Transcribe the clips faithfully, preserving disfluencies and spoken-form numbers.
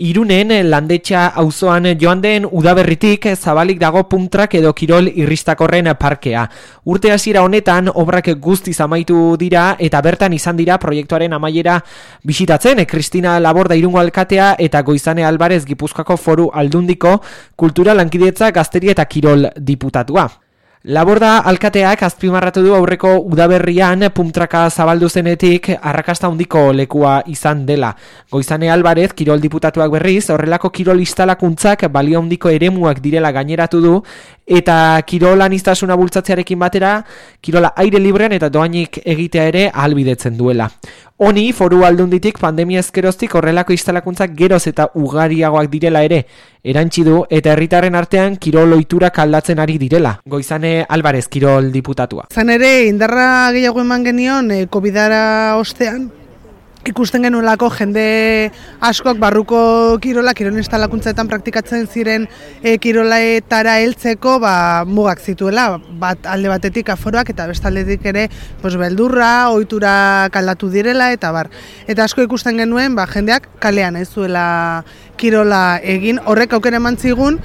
Irunen Landetxa auzoan joan den udaberritik zabalik dago puntrak edo kirol irristakorren parkea. Urte hasiera honetan obrak guztiz amaitu dira eta bertan izan dira proiektuaren amaiera bisitatzen Kristina Laborda Irungo alkatea eta Goizane Alvarez Gipuzkoako Foru Aldundiko kultura lankidetza gazteria eta kirol diputatua. Laborda alkateak azpimarratu du aurreko udaberrian pumtraka zabaldu zenetik arrakasta handiko lekua izan dela. Goizane Alvarez kirol diputatuak berriz horrelako kirol instalakuntzak balio handiko eremuak direla gaineratu du eta kirol aniztasuna bultzatzearekin batera kirola aire librean eta doainik egitea ere ahalbidetzen duela. Honi Foru Aldunditik pandemia ezkeroztik horrelako instalakuntzak geroz eta ugariagoak direla ere erantsi du eta herritarren artean kirol ohiturak aldatzen ari direla. Goizane Alvarez kirol diputatua. Zan ere indarra gehiago eman genion eh, Covidara ostean ikusten genuelako jende askok barruko kirola, kirol instalakuntzetan praktikatzen ziren e, kirolaetara heltzeko ba, mugak zituela, bat alde batetik aforoak eta bestaldetik ere pues, beldurra, ohitura aldatu direla eta bar. Eta asko ikusten genuen ba, jendeak kalean ez zuela kirola egin, horrek aukera eman zigun,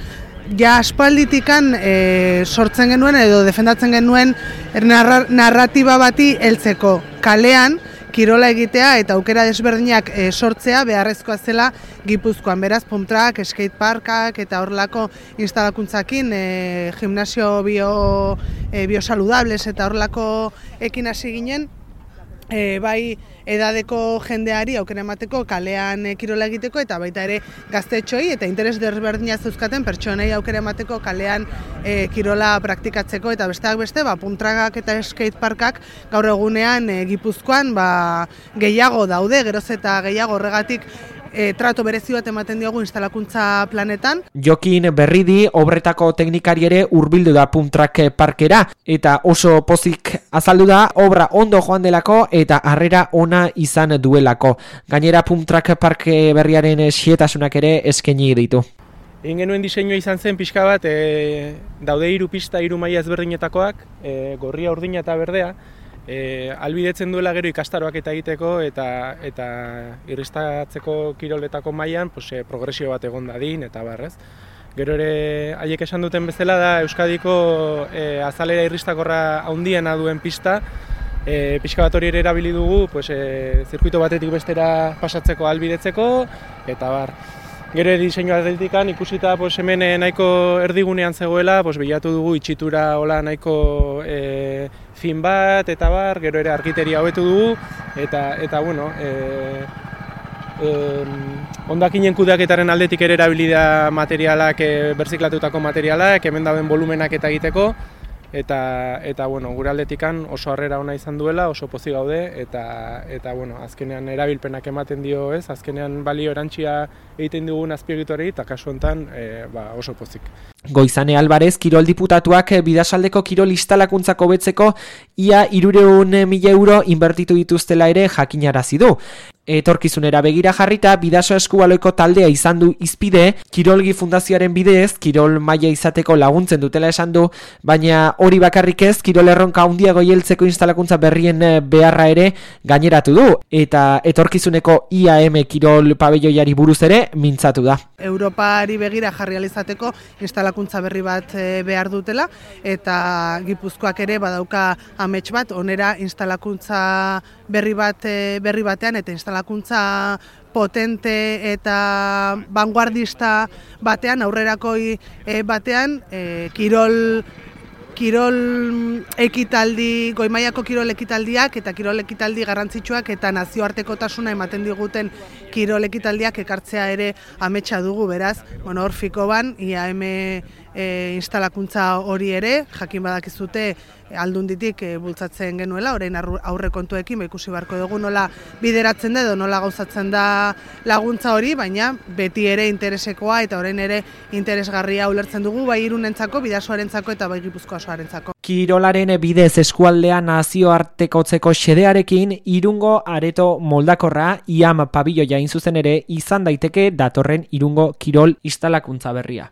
ja aspalditikan e, sortzen genuen edo defendatzen genuen narra, narratiba bati heltzeko kalean, kirola egitea eta aukera desberdinak e, sortzea beharrezkoa zela Gipuzkoan. Beraz, pumptrak, skateparkak eta horrelako instalakuntzakin, e, gimnasio bio, e, biosaludables eta horrelako ekin hasi ginen, e, bai edadeko jendeari aukera emateko kalean e, kirola egiteko eta baita ere gaztetxoi eta interes desberdina zeuzkaten pertsonei aukera emateko kalean e, kirola praktikatzeko eta besteak beste ba, puntrakak eta skateparkak gaur egunean e, Gipuzkoan ba, gehiago daude, geroz eta gehiago horregatik E, trato berezi bat ematen diogu instalakuntza planetan. Jokin Berridi obretako teknikari ere hurbildu da puntrak parkera eta oso pozik azaldu da obra ondo joan delako eta harrera ona izan duelako. Gainera puntrak parke berriaren xietasunak ere eskaini ditu. Egin genuen diseinua izan zen pixka bat, e, daude hiru pista, hiru maila ezberdinetakoak, e, gorria, urdina eta berdea, E, albidetzen duela gero ikastaroak eta egiteko eta eta irristatzeko kiroletako mailan pues, e, progresio bat egon dadin eta barrez. Gero ere haiek esan duten bezala da Euskadiko e, azalera irristakorra handiena duen pista, e, pixka bat hori ere erabili dugu pues, e, zirkuito batetik bestera pasatzeko albidetzeko eta bar. Gero diseinu atletikan ikusita pues, hemen nahiko erdigunean zegoela, pues, bilatu dugu itxitura hola nahiko e, fin bat eta bar, gero ere argiteria hobetu dugu eta eta bueno, e, e, hondakinen kudeaketaren aldetik ere erabili da materialak, e, berziklatutako materialak, hemen dauden volumenak eta egiteko. Eta, eta bueno, gure aldetikan oso harrera ona izan duela, oso pozik gaude eta, eta bueno, azkenean erabilpenak ematen dio, ez? Azkenean balio erantsia egiten dugun azpiegiturari eta kasu honetan e, ba, oso pozik. Goizane Alvarez kirol diputatuak Bidasaldeko kirol instalakuntzako betzeko ia hirurehun mila euro inbertitu dituztela ere jakinarazi du. Etorkizunera begira jarrita Bidaso Eskubaloiko taldea izan du izpide, Kirolgi Fundazioaren bidez kirol maila izateko laguntzen dutela esan du, baina hori bakarrik ez kirol erronka handiago heltzeko instalakuntza berrien beharra ere gaineratu du eta etorkizuneko I A M kirol pabelloiari buruz ere mintzatu da. Europari begira jarri alizateko instalakuntza berri bat behar dutela eta Gipuzkoak ere badauka amets bat onera instalakuntza berri bat berri batean eta instalakuntza potente eta vanguardista batean, aurrerakoi batean, e, kirol kirol ekitaldi, goi-mailako kirol ekitaldiak eta kirol ekitaldi garrantzitsuak eta nazioartekotasuna ematen diguten kirol ekitaldiak ekartzea ere ametsa dugu, beraz, bueno, hor fiko ban, I A M e, instalakuntza hori ere, jakin badakizute Aldunditik e, bultzatzen genuela, orain aurre kontuekin, ikusi beharko dugu nola bideratzen da edo nola gauzatzen da laguntza hori, baina beti ere interesekoa eta orain ere interesgarria ulertzen dugu, bai Irunentzako, Bidasoarentzako eta bai Gipuzkoa osoarentzako. Kirolaren bidez eskualdean nazioartekotzeko xedearekin Irungo areto moldakorra I A M pabilloia hain zuzen ere izan daiteke datorren Irungo kirol instalakuntza berria.